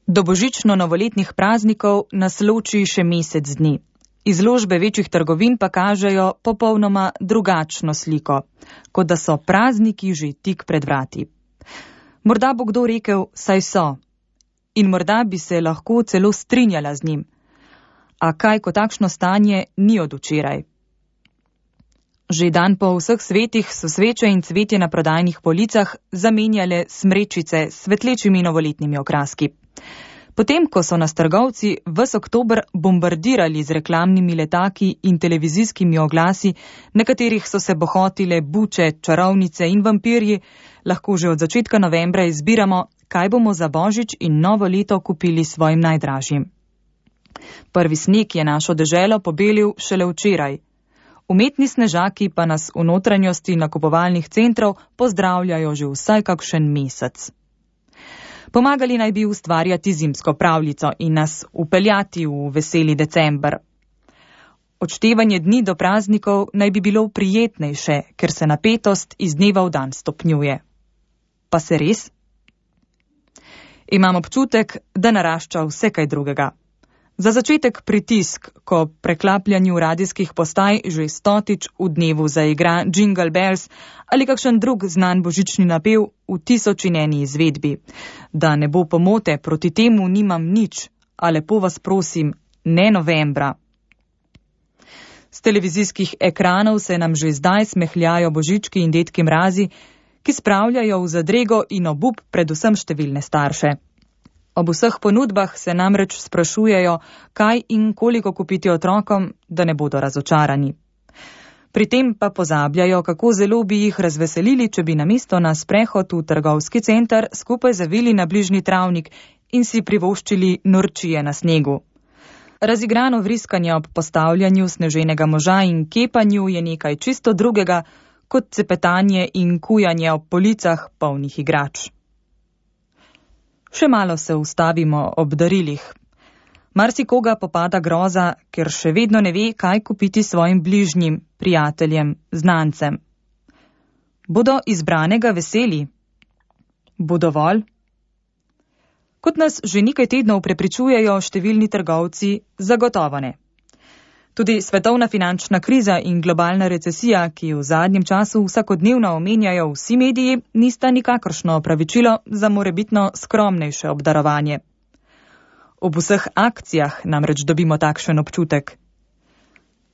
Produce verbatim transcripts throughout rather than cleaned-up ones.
Do božično-novoletnih praznikov nas loči še mesec dni. Izložbe večjih trgovin pa kažejo popolnoma drugačno sliko, kot da so prazniki že tik pred vrati. Morda bo kdo rekel, saj so. In morda bi se lahko celo strinjala z njim. A kaj, ko takšno stanje ni od včeraj? Že dan po vseh svetih so sveče in cvetje na prodajnih policah zamenjale smrečice s svetlečimi novoletnimi okraski. Potem, ko so nas trgovci ves oktober bombardirali z reklamnimi letaki in televizijskimi oglasi, na katerih so se bohotile buče, čarovnice in vampirji, lahko že od začetka novembra izbiramo, kaj bomo za božič in novo leto kupili svojim najdražjim. Prvi sneg je našo deželo pobelil šele včeraj. Umetni snežaki pa nas v notranjosti nakupovalnih centrov pozdravljajo že vsaj kakšen mesec. Pomagali naj bi ustvarjati zimsko pravljico in nas upeljati v veseli december. Odštevanje dni do praznikov naj bi bilo prijetnejše, ker se napetost iz dneva v dan stopnjuje. Pa se res? Imam občutek, da narašča vse kaj drugega. Za začetek pritisk, ko preklapljanju radijskih postaj že stotič v dnevu zaigra Jingle Bells ali kakšen drug znan božični napev v tisoč in eni izvedbi. Da ne bo pomote, proti temu nimam nič, a lepo vas prosim, ne novembra. Z televizijskih ekranov se nam že zdaj smehljajo božički in dedki mrazi, ki spravljajo v zadrego in obup predvsem številne starše. Ob vseh ponudbah se namreč sprašujejo, kaj in koliko kupiti otrokom, da ne bodo razočarani. Pri tem pa pozabljajo, kako zelo bi jih razveselili, če bi namesto na sprehod v trgovski center skupaj zavili na bližnji travnik in si privoščili norčije na snegu. Razigrano vriskanje ob postavljanju sneženega moža in kepanju je nekaj čisto drugega, kot cepetanje in kujanje ob policah polnih igrač. Še malo se ustavimo ob darilih. Marsikoga popada groza, ker še vedno ne ve, kaj kupiti svojim bližnjim, prijateljem, znancem. Bodo izbranega veseli? Bo dovolj? Kot nas že nekaj tednov prepričujejo številni trgovci, zagotovo ne. Tudi svetovna finančna kriza in globalna recesija, ki v zadnjem času vsakodnevno omenjajo vsi mediji, nista nikakršno opravičilo za morebitno skromnejše obdarovanje. Ob vseh akcijah namreč dobimo takšen občutek.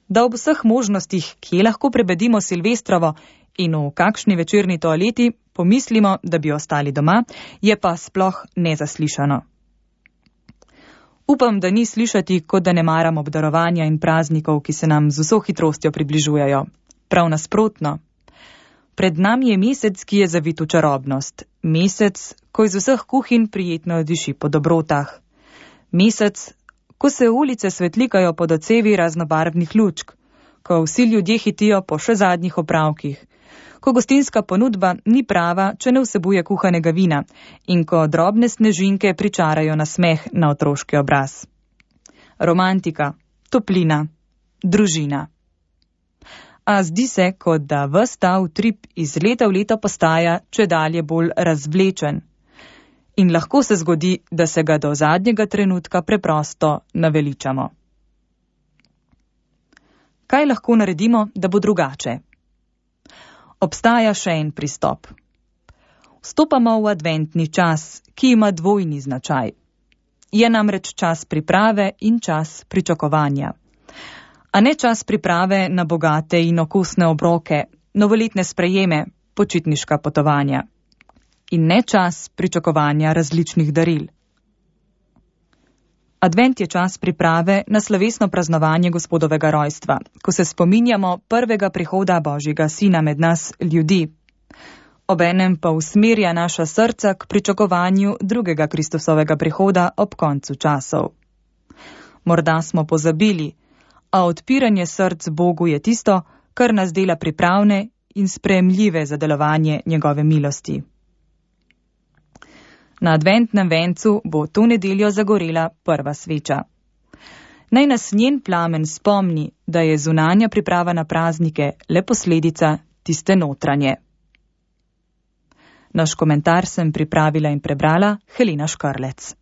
Da ob vseh možnostih, kje lahko prebedimo Silvestrovo in v kakšni večerni toaleti pomislimo, da bi ostali doma, je pa sploh nezaslišano. Upam, da ni slišati, kot da ne maram obdarovanja in praznikov, ki se nam z vso hitrostjo približujejo. Prav nasprotno. Pred nami je mesec, ki je zavit v čarobnost. Mesec, ko iz vseh kuhinj prijetno diši po dobrotah. Mesec, ko se ulice svetlikajo pod odsevi raznobarvnih lučk, ko vsi ljudje hitijo po še zadnjih opravkih, ko gostinska ponudba ni prava, če ne vsebuje kuhanega vina in ko drobne snežinke pričarajo nasmeh na otroški obraz. Romantika, toplina, družina. A zdi se, kot da ves ta utrip iz leta v leto postaja čedalje bolj razvlečen. In lahko se zgodi, da se ga do zadnjega trenutka preprosto naveličamo. Kaj lahko naredimo, da bo drugače? Obstaja še en pristop. Vstopamo v adventni čas, ki ima dvojni značaj. Je namreč čas priprave in čas pričakovanja. A ne čas priprave na bogate in okusne obroke, novoletne sprejeme, počitniška potovanja. In ne čas pričakovanja različnih daril. Advent je čas priprave na slovesno praznovanje Gospodovega rojstva, ko se spominjamo prvega prihoda Božjega Sina med nas ljudi. Obenem pa usmerja naša srca k pričakovanju drugega Kristusovega prihoda ob koncu časov. Morda smo pozabili, a odpiranje src Bogu je tisto, kar nas dela pripravne in sprejemljive za delovanje njegove milosti. Na adventnem vencu bo to nedeljo zagorela prva sveča. Naj nas njen plamen spomni, da je zunanja priprava na praznike le posledica tiste notranje. Naš komentar sem pripravila in prebrala Helena Škarlec.